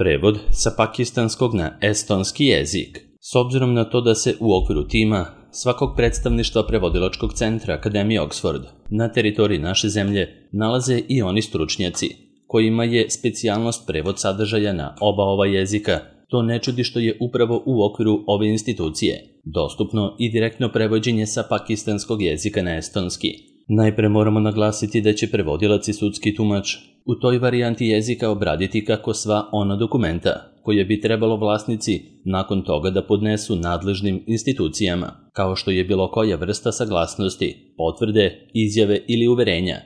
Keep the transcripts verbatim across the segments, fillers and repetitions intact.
Prevod sa pakistanskog na estonski jezik. S obzirom na to da se u okviru tima svakog predstavništva prevodilačkog centra Akademije Oxford na teritoriji naše zemlje nalaze i oni stručnjaci, kojima je specijalnost prevod sadržaja na oba ova jezika, to ne čudi što je upravo u okviru ove institucije dostupno i direktno prevođenje sa pakistanskog jezika na estonski. Najpre moramo naglasiti da će prevodilac i sudski tumač u toj varijanti jezika obraditi kako sva ona dokumenta koje bi trebalo vlasnici nakon toga da podnesu nadležnim institucijama, kao što je bilo koja vrsta saglasnosti, potvrde, izjave ili uverenja,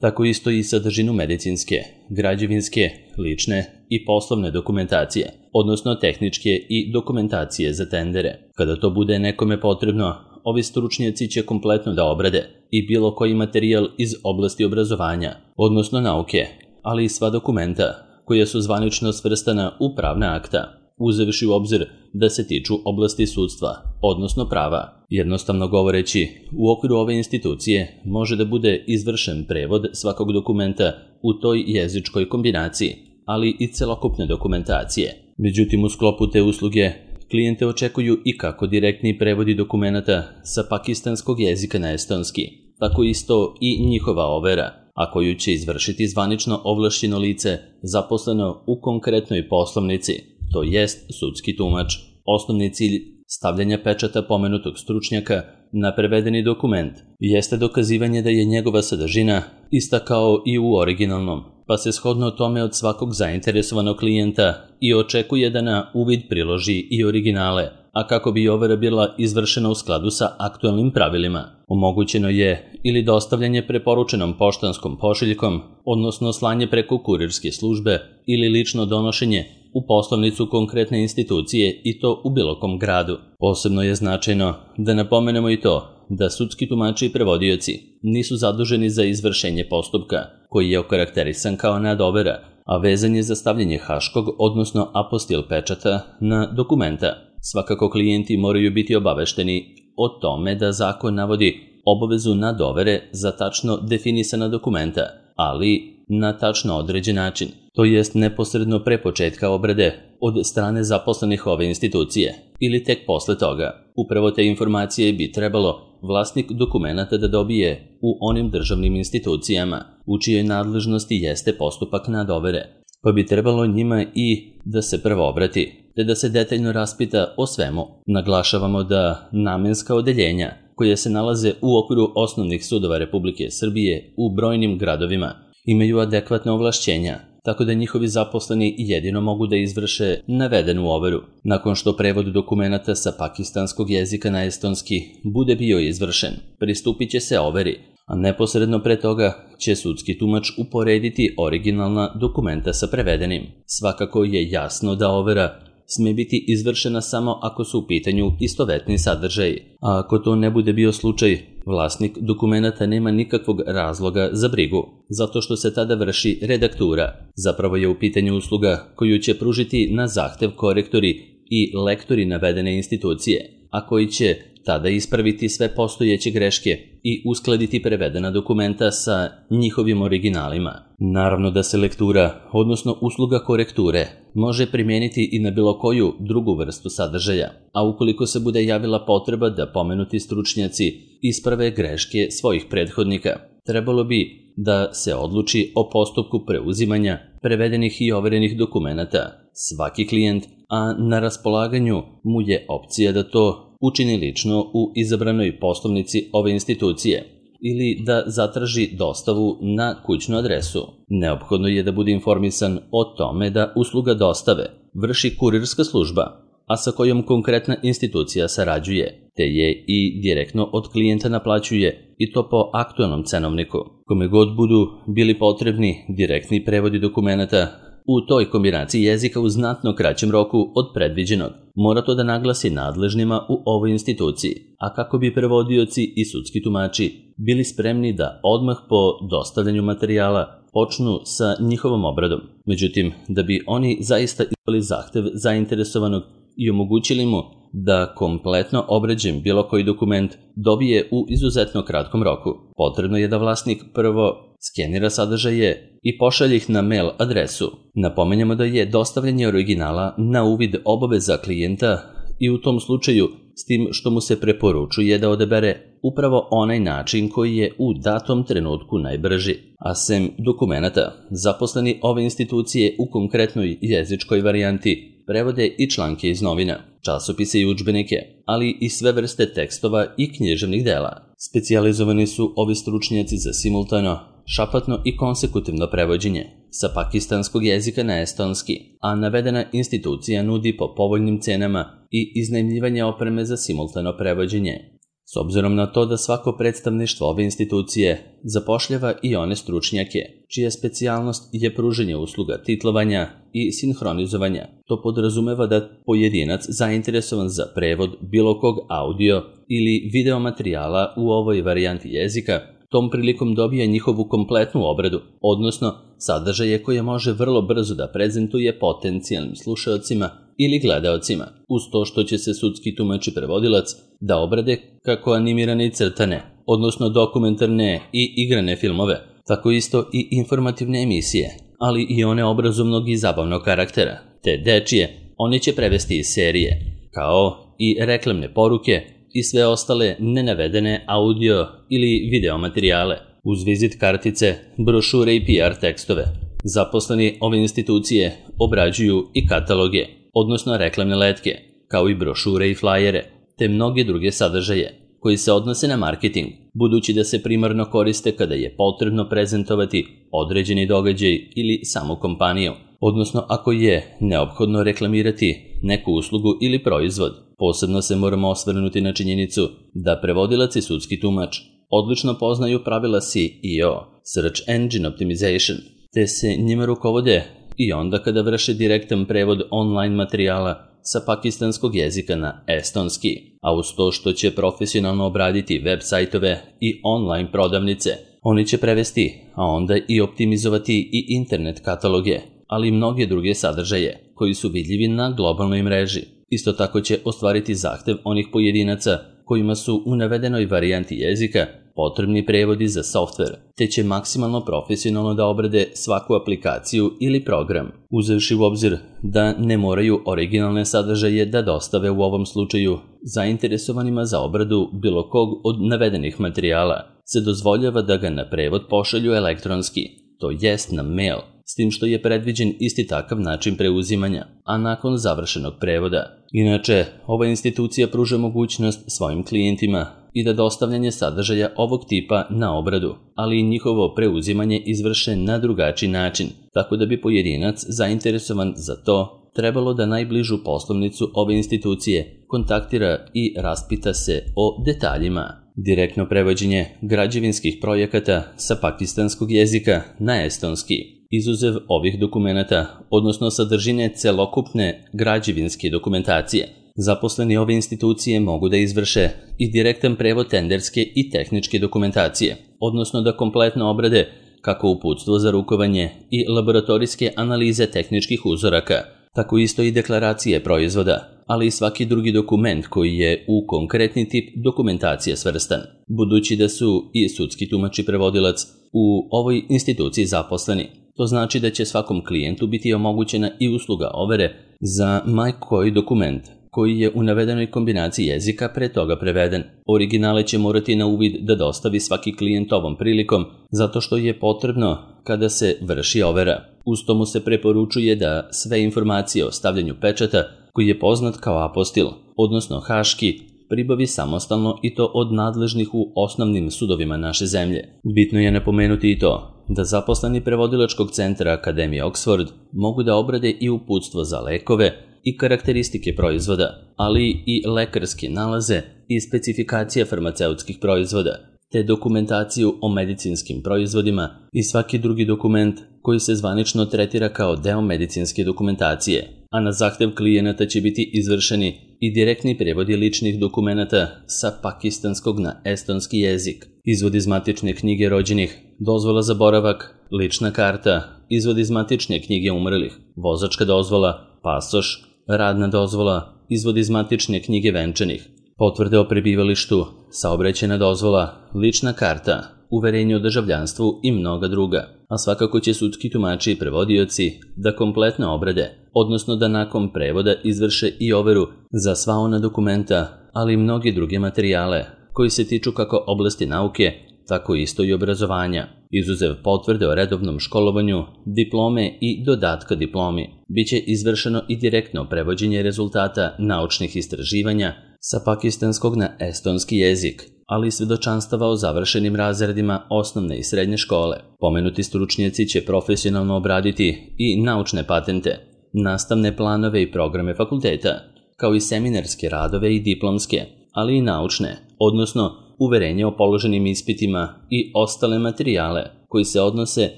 tako isto i sadržinu medicinske, građevinske, lične i poslovne dokumentacije, odnosno tehničke i dokumentacije za tendere. Kada to bude nekome potrebno, ovi stručnjaci će kompletno da obrade i bilo koji materijal iz oblasti obrazovanja, odnosno nauke, ali i sva dokumenta koja su zvanično svrstana u pravna akta, uzevši u obzir da se tiču oblasti sudstva, odnosno prava. Jednostavno govoreći, u okviru ove institucije može da bude izvršen prevod svakog dokumenta u toj jezičkoj kombinaciji, ali i celokupne dokumentacije. Međutim, u sklopu te usluge klijente očekuju i kako direktni prevodi dokumenata sa pakistanskog jezika na estonski, tako isto i njihova overa, a koju će izvršiti zvanično ovlašćeno lice zaposleno u konkretnoj poslovnici, to jest sudski tumač. Osnovni cilj stavljanja pečata pomenutog stručnjaka na prevedeni dokument jeste dokazivanje da je njegova sadržina ista kao i u originalnom, pa se shodno tome od svakog zainteresovanog klijenta i očekuje da na uvid priloži i originale, a kako bi overa bila izvršena u skladu sa aktualnim pravilima. Omogućeno je ili dostavljanje preporučenom poštanskom pošiljkom, odnosno slanje preko kurirske službe ili lično donošenje u poslovnicu konkretne institucije i to u bilo kom gradu. Posebno je značajno da napomenemo i to da sudski tumači i prevodioci nisu zaduženi za izvršenje postupka koji je okarakterisan kao nadovera, a vezan je za stavljanje haškog, odnosno apostil pečata na dokumenta. Svakako klijenti moraju biti obavešteni o tome da zakon navodi obavezu nadovere za tačno definisana dokumenta, ali na tačno određen način, to jest neposredno pre početka obrade od strane zaposlenih ove institucije ili tek posle toga. Upravo te informacije bi trebalo vlasnik dokumenta da dobije u onim državnim institucijama u čijoj nadležnosti jeste postupak nadovere, pa bi trebalo njima i da se prvo obrati, te da se detaljno raspita o svemu. Naglašavamo da namenska odeljenja koje se nalaze u okviru osnovnih sudova Republike Srbije u brojnim gradovima imaju adekvatne ovlašćenja, tako da njihovi zaposleni jedino mogu da izvrše navedenu overu. Nakon što prevod dokumenata sa pakistanskog jezika na estonski bude bio izvršen, pristupit će se overi, a neposredno pre toga će sudski tumač uporediti originalna dokumenta sa prevedenim. Svakako je jasno da overa sme biti izvršena samo ako su u pitanju istovetni sadržaji, a ako to ne bude bio slučaj, vlasnik dokumenata nema nikakvog razloga za brigu, zato što se tada vrši redaktura. Zapravo je u pitanju usluga koju će pružiti na zahtev korektori i lektori navedene institucije, a koji će tada ispraviti sve postojeće greške i uskladiti prevedena dokumenta sa njihovim originalima. Naravno da se lektura, odnosno usluga korekture, može primijeniti i na bilo koju drugu vrstu sadržaja, a ukoliko se bude javila potreba da pomenuti stručnjaci isprave greške svojih prethodnika, trebalo bi da se odluči o postupku preuzimanja prevedenih i overenih dokumenata. Svaki klijent, a na raspolaganju mu je opcija da to učini lično u izabranoj poslovnici ove institucije ili da zatraži dostavu na kućnu adresu. Neophodno je da bude informisan o tome da usluga dostave vrši kurirska služba, a sa kojom konkretna institucija sarađuje, te je i direktno od klijenta naplaćuje i to po aktualnom cenovniku. Kome god budu bili potrebni direktni prevodi dokumenata u toj kombinaciji jezika u znatno kraćem roku od predviđenog, mora to da naglasi nadležnima u ovoj instituciji, a kako bi prevodioci i sudski tumači bili spremni da odmah po dostavljanju materijala počnu sa njihovom obradom. Međutim, da bi oni zaista ispunili zahtev zainteresovanog i omogućili mu da kompletno obrađen bilo koji dokument dobije u izuzetno kratkom roku. Potrebno je da vlasnik prvo skenira sadržaje i pošalje ih na mail adresu. Napomenjamo da je dostavljanje originala na uvid obaveza klijenta i u tom slučaju s tim što mu se preporučuje da odabere upravo onaj način koji je u datom trenutku najbrži. A sem dokumenata, zaposleni ove institucije u konkretnoj jezičkoj varijanti prevode i članke iz novina, časopise i udžbenike, ali i sve vrste tekstova i književnih dela. Specijalizovani su ovi stručnjaci za simultano, šapatno i konsekutivno prevođenje sa pakistanskog jezika na estonski, a navedena institucija nudi po povoljnim cenama i iznajmljivanje opreme za simultano prevođenje. S obzirom na to da svako predstavništvo ove institucije zapošljava i one stručnjake, čija specijalnost je pružanje usluga titlovanja i sinhronizovanja, to podrazumeva da pojedinac zainteresovan za prevod bilo kog audio ili video materijala u ovoj varijanti jezika tom prilikom dobija njihovu kompletnu obradu, odnosno sadržaje koje može vrlo brzo da prezentuje potencijalnim slušaocima ili gledaocima, uz to što će se sudski tumač i prevodilac da obrade kako animirane i crtane, odnosno dokumentarne i igrane filmove, tako isto i informativne emisije, ali i one obrazovnog i zabavnog karaktera, te dečije, one će prevesti iz serije, kao i reklamne poruke i sve ostale nenavedene audio ili video materijale, uz vizit kartice, brošure i P R tekstove. Zaposleni ove institucije obrađuju i kataloge, odnosno reklamne letke, kao i brošure i flajere, te mnoge druge sadržaje koji se odnose na marketing, budući da se primarno koriste kada je potrebno prezentovati određeni događaj ili samu kompaniju, odnosno ako je neophodno reklamirati neku uslugu ili proizvod. Posebno se moramo osvrnuti na činjenicu da prevodilac i sudski tumač odlično poznaju pravila S E O, Search Engine Optimization, te se njima rukovode i onda kada vrše direktan prevod online materijala sa pakistanskog jezika na estonski, a uz to što će profesionalno obraditi web sajtove i online prodavnice, oni će prevesti, a onda i optimizovati i internet kataloge, ali i mnoge druge sadržaje koji su vidljivi na globalnoj mreži. Isto tako će ostvariti zahtev onih pojedinaca kojima su u navedenoj varijanti jezika potrebni prevodi za softver, te će maksimalno profesionalno da obrade svaku aplikaciju ili program, uzevši u obzir da ne moraju originalne sadržaje da dostave u ovom slučaju zainteresovanima za obradu bilo kog od navedenih materijala, se dozvoljava da ga na prevod pošalju elektronski, to jest na mail, s tim što je predviđen isti takav način preuzimanja, a nakon završenog prevoda. Inače, ova institucija pruža mogućnost svojim klijentima i da dostavljanje sadržaja ovog tipa na obradu, ali i njihovo preuzimanje izvrše na drugačiji način, tako da bi pojedinac zainteresovan za to trebalo da najbližu poslovnicu ove institucije kontaktira i raspita se o detaljima. Direktno prevođenje građevinskih projekata sa pakistanskog jezika na estonski, izuzev ovih dokumenata, odnosno sadržine celokupne građevinske dokumentacije. Zaposleni ove institucije mogu da izvrše i direktan prevod tenderske i tehničke dokumentacije, odnosno da kompletno obrade kako uputstvo za rukovanje i laboratorijske analize tehničkih uzoraka, tako isto i deklaracije proizvoda, ali i svaki drugi dokument koji je u konkretni tip dokumentacije svrstan. Budući da su i sudski tumač i prevodilac u ovoj instituciji zaposleni, to znači da će svakom klijentu biti omogućena i usluga overe za ma koji dokument koji je u navedenoj kombinaciji jezika pre toga preveden. Originale će morati na uvid da dostavi svaki klijent ovom prilikom, zato što je potrebno kada se vrši overa. Uz to mu se preporučuje da sve informacije o stavljanju pečata, koji je poznat kao apostil, odnosno haški, pribavi samostalno i to od nadležnih u osnovnim sudovima naše zemlje. Bitno je napomenuti i to da zaposleni prevodilačkog centra Akademije Oxford mogu da obrade i uputstvo za lekove i karakteristike proizvoda, ali i lekarske nalaze i specifikacije farmaceutskih proizvoda, te dokumentaciju o medicinskim proizvodima i svaki drugi dokument koji se zvanično tretira kao deo medicinske dokumentacije, a na zahtev klijenata će biti izvršeni i direktni prevodi ličnih dokumenata sa pakistanskog na estonski jezik, izvod iz matične knjige rođenih, dozvola za boravak, lična karta, izvod iz matične knjige umrlih, vozačka dozvola, pasoš, radna dozvola, izvod iz matične knjige venčanih, potvrde o prebivalištu, saobraćajna dozvola, lična karta, uverenje o državljanstvu i mnoga druga. A svakako će sudski tumači i prevodioci da kompletno obrade, odnosno da nakon prevoda izvrše i overu za sva ona dokumenta, ali i mnoge druge materijale koji se tiču kako oblasti nauke, tako isto i obrazovanja. Izuzev potvrde o redovnom školovanju, diplome i dodatka diplomi, biće izvršeno i direktno prevođenje rezultata naučnih istraživanja sa pakistanskog na estonski jezik, ali i svedočanstava o završenim razredima osnovne i srednje škole. Pomenuti stručnjaci će profesionalno obraditi i naučne patente, nastavne planove i programe fakulteta, kao i seminarske radove i diplomske, ali i naučne, odnosno uverenje o položenim ispitima i ostale materijale koji se odnose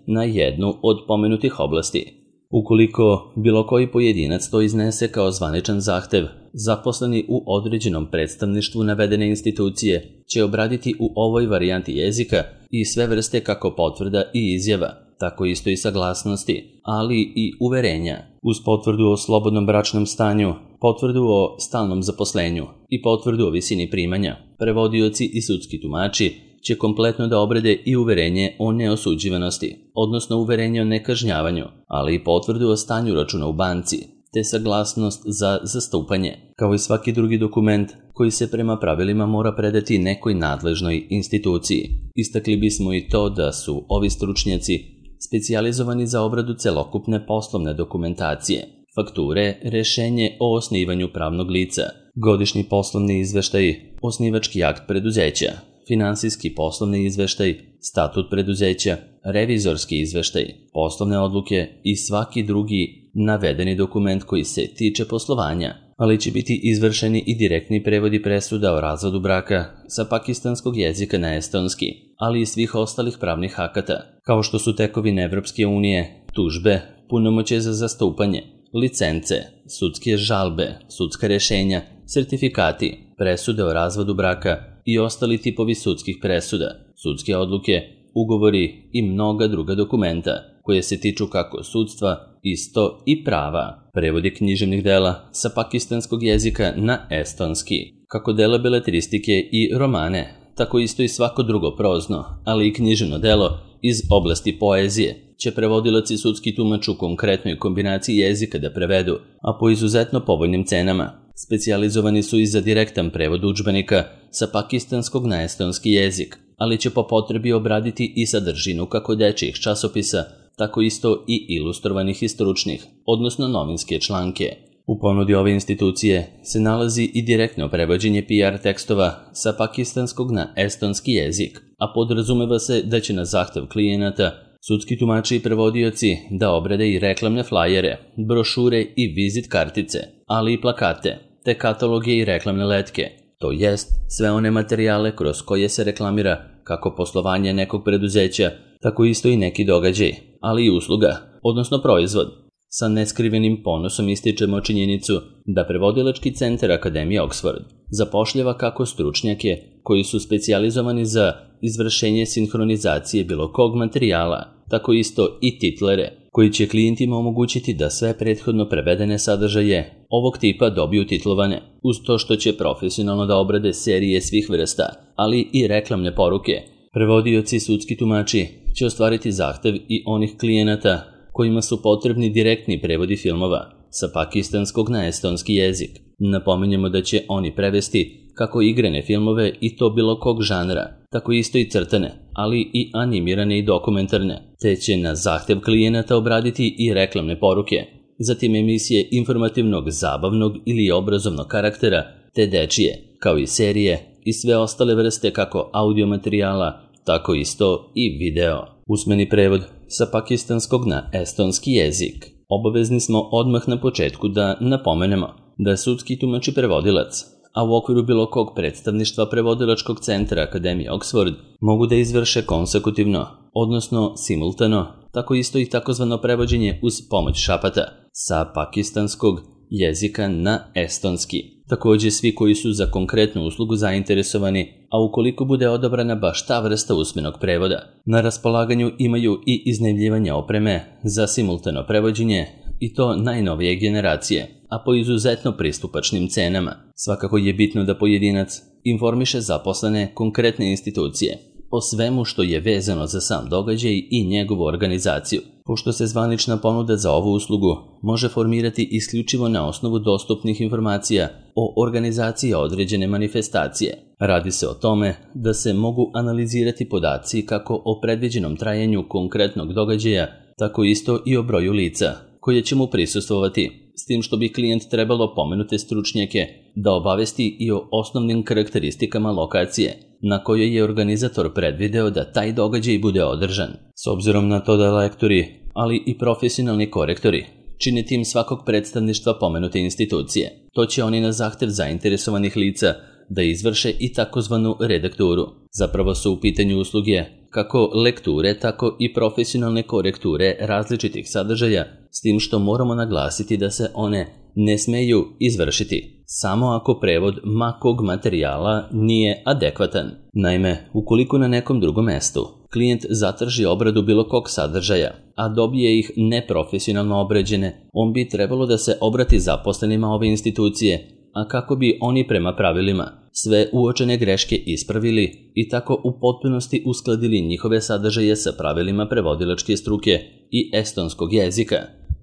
na jednu od pomenutih oblasti. Ukoliko bilo koji pojedinac to iznese kao zvaničan zahtev, zaposleni u određenom predstavništvu navedene institucije će obraditi u ovoj varijanti jezika i sve vrste kako potvrda i izjava, tako isto i saglasnosti, ali i uverenja, uz potvrdu o slobodnom bračnom stanju, potvrdu o stalnom zaposlenju i potvrdu o visini primanja. Prevodioci i sudski tumači će kompletno da obrade i uverenje o neosuđivanosti, odnosno uverenje o nekažnjavanju, ali i potvrdu o stanju računa u banci, te saglasnost za zastupanje, kao i svaki drugi dokument koji se prema pravilima mora predati nekoj nadležnoj instituciji. Istakli bismo i to da su ovi stručnjaci specijalizovani za obradu celokupne poslovne dokumentacije, fakture, rešenje o osnivanju pravnog lica, godišnji poslovni izveštaj, osnivački akt preduzeća, finansijski poslovni izveštaj, statut preduzeća, revizorski izveštaj, poslovne odluke i svaki drugi navedeni dokument koji se tiče poslovanja, ali će biti izvršeni i direktni prevodi presuda o razvodu braka sa pakistanskog jezika na estonski, ali i svih ostalih pravnih akata, kao što su tekovine Evropske unije, tužbe, punomoćje za zastupanje, licence, sudske žalbe, sudska rešenja, sertifikati, presude o razvodu braka i ostali tipovi sudskih presuda, sudske odluke, ugovori i mnoga druga dokumenta koje se tiču kako sudstva, isto i prava, prevodi književnih dela sa pakistanskog jezika na estonski, kako dela beletristike i romane, tako isto i svako drugo prozno, ali i književno delo iz oblasti poezije, će prevodilac i sudski tumač u konkretnoj kombinaciji jezika da prevedu, a po izuzetno povoljnim cenama. Specijalizovani su i za direktan prevod udžbenika sa pakistanskog na estonski jezik, ali će po potrebi obraditi i sadržinu kako dečijih časopisa, tako isto i ilustrovanih i stručnih, odnosno novinske članke. U ponudi ove institucije se nalazi i direktno prevođenje P R tekstova sa pakistanskog na estonski jezik, a podrazumeva se da će na zahtev klijenata sudski tumači i prevodioci da obrade i reklamne flajere, brošure i vizit kartice, ali i plakate, te kataloge i reklamne letke, to jest sve one materijale kroz koje se reklamira kako poslovanje nekog preduzeća, tako isto i neki događaj, ali i usluga, odnosno proizvod. Sa neskrivenim ponosom ističemo činjenicu da prevodilački centar Akademije Oxford zapošljava kako stručnjake koji su specijalizovani za izvršenje sinhronizacije bilo kog materijala, tako isto i titlere, koji će klijentima omogućiti da sve prethodno prevedene sadržaje ovog tipa dobiju titlovane, uz to što će profesionalno da obrade serije svih vrsta, ali i reklamne poruke. Prevodioci i sudski tumači će ostvariti zahtev i onih klijenata kojima su potrebni direktni prevodi filmova sa pakistanskog na estonski jezik. Napominjemo da će oni prevesti kako igrane filmove i to bilo kog žanra, tako isto i crtane, ali i animirane i dokumentarne, te će na zahtev klijenata obraditi i reklamne poruke, zatim emisije informativnog, zabavnog ili obrazovnog karaktera, te dečije, kao i serije i sve ostale vrste kako audio materijala, tako isto i video. Usmeni prevod sa pakistanskog na estonski jezik. Obavezni smo odmah na početku da napomenemo da sudski tumač i prevodilac, a u okviru bilo kog predstavništva prevodilačkog centra Akademije Oxford mogu da izvrše konsekutivno, odnosno simultano, tako isto i takozvano prevođenje uz pomoć šapata sa pakistanskog jezika na estonski. Također svi koji su za konkretnu uslugu zainteresovani, a ukoliko bude odabrana baš ta vrsta usmenog prevoda, na raspolaganju imaju i iznajmljivanje opreme za simultano prevođenje i to najnovije generacije, a po izuzetno pristupačnim cenama. Svakako je bitno da pojedinac informiše zaposlene konkretne institucije o svemu što je vezano za sam događaj i njegovu organizaciju, pošto se zvanična ponuda za ovu uslugu može formirati isključivo na osnovu dostupnih informacija o organizaciji određene manifestacije. Radi se o tome da se mogu analizirati podaci kako o predviđenom trajanju konkretnog događaja, tako isto i o broju lica koje će mu prisustvovati, s tim što bi klijent trebalo pomenute stručnjake da obavesti i o osnovnim karakteristikama lokacije na kojoj je organizator predvideo da taj događaj bude održan. S obzirom na to da lektori, ali i profesionalni korektori čine tim svakog predstavništva pomenute institucije, to će oni na zahtev zainteresovanih lica da izvrše i takozvanu redakturu. Zapravo su u pitanju usluge kako lekture, tako i profesionalne korekture različitih sadržaja, s tim što moramo naglasiti da se one ne smeju izvršiti samo ako prevod ma kog materijala nije adekvatan. Naime, ukoliko na nekom drugom mestu klijent zatraži obradu bilo kog sadržaja, a dobije ih neprofesionalno obrađene, on bi trebalo da se obrati zaposlenima ove institucije, a kako bi oni prema pravilima sve uočene greške ispravili i tako u potpunosti uskladili njihove sadržaje sa pravilima prevodilačke struke i estonskog jezika,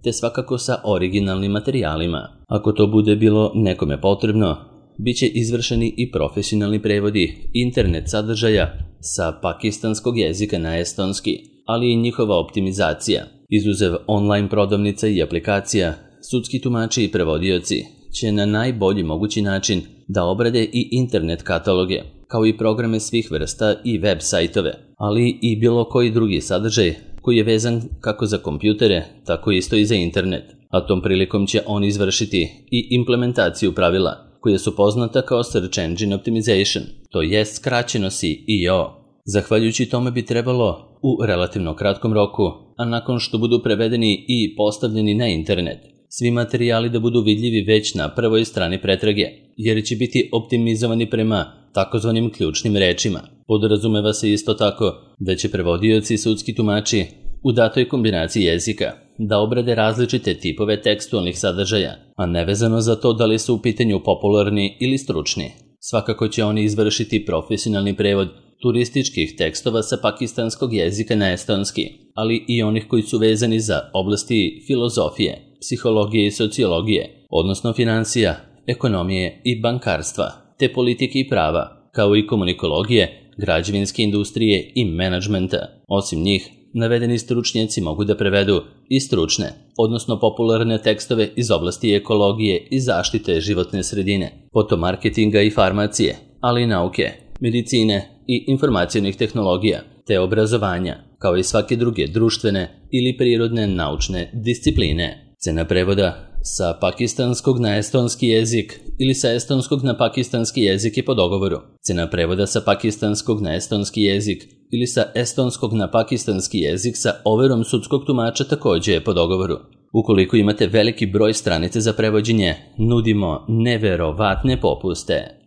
te svakako sa originalnim materijalima. Ako to bude bilo nekome potrebno, bit će izvršeni i profesionalni prevodi internet sadržaja sa pakistanskog jezika na estonski, ali i njihova optimizacija. Izuzev online prodavnica i aplikacija, sudski tumači i prevodioci će na najbolji mogući način da obrade i internet kataloge, kao i programe svih vrsta i web sajtove, ali i bilo koji drugi sadržaj koji je vezan kako za kompjutere, tako isto i za internet. A tom prilikom će on izvršiti i implementaciju pravila koje su poznata kao Search Engine Optimization, to jest skraćeno C E O. Zahvaljujući tome bi trebalo u relativno kratkom roku, a nakon što budu prevedeni i postavljeni na internet, svi materijali da budu vidljivi već na prvoj strani pretrage, jer će biti optimizovani prema takozvanim ključnim rečima. Podrazumeva se isto tako da će prevodioci i sudski tumači u datoj kombinaciji jezika da obrade različite tipove tekstualnih sadržaja, a nevezano za to da li su u pitanju popularni ili stručni. Svakako će oni izvršiti profesionalni prevod turističkih tekstova sa pakistanskog jezika na estonski, ali i onih koji su vezani za oblasti filozofije, psihologije i sociologije, odnosno financija, ekonomije i bankarstva, te politike i prava, kao i komunikologije, građevinske industrije i menadžmenta. Osim njih, navedeni stručnjaci mogu da prevedu i stručne, odnosno popularne tekstove iz oblasti ekologije i zaštite životne sredine, potom marketinga i farmacije, ali i nauke, medicine i informacionih tehnologija, te obrazovanja, kao i svake druge društvene ili prirodne naučne discipline. Cena prevoda sa pakistanskog na estonski jezik ili sa estonskog na pakistanski jezik je po dogovoru. Cena prevoda sa pakistanskog na estonski jezik ili sa estonskog na pakistanski jezik sa overom sudskog tumača također je po dogovoru. Ukoliko imate veliki broj stranice za prevođenje, nudimo neverovatne popuste.